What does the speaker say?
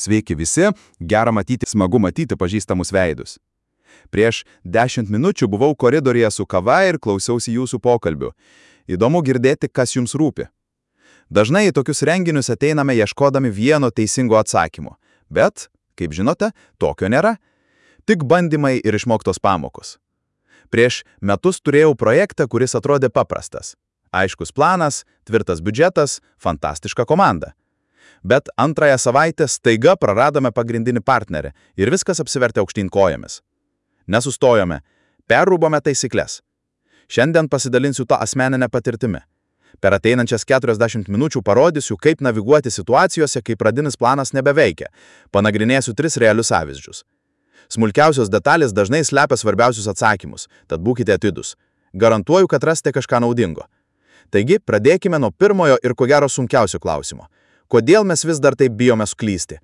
Sveiki visi, gera matyti, smagu matyti pažįstamus veidus. Prieš 10 minučių buvau koridoriuje su kava ir klausiausi jūsų pokalbių. Įdomu girdėti, kas jums rūpi. Dažnai į tokius renginius ateiname ieškodami vieno teisingo atsakymo. Bet, kaip žinote, tokio nėra. Tik bandymai ir išmoktos pamokos. Prieš metus turėjau projektą, kuris atrodė paprastas. Aiškus planas, tvirtas biudžetas, fantastiška komanda. Bet antrąją savaitę staiga praradome pagrindinį partnerį ir viskas apsivertė aukštyn kojomis. Nesustojome, perrūbome taisyklės. Šiandien pasidalinsiu tą asmeninę patirtimi. Per ateinančias 40 minučių parodysiu, kaip naviguoti situacijose, kai pradinis planas nebeveikia. Panagrinėsiu 3 realius pavyzdžius. Smulkiausios detalės dažnai slepia svarbiausius atsakymus, tad būkite atidūs. Garantuoju, kad rasite kažką naudingo. Taigi, pradėkime nuo pirmojo ir ko gero sunkiausio klausimo. Kodėl mes vis dar taip bijome suklysti?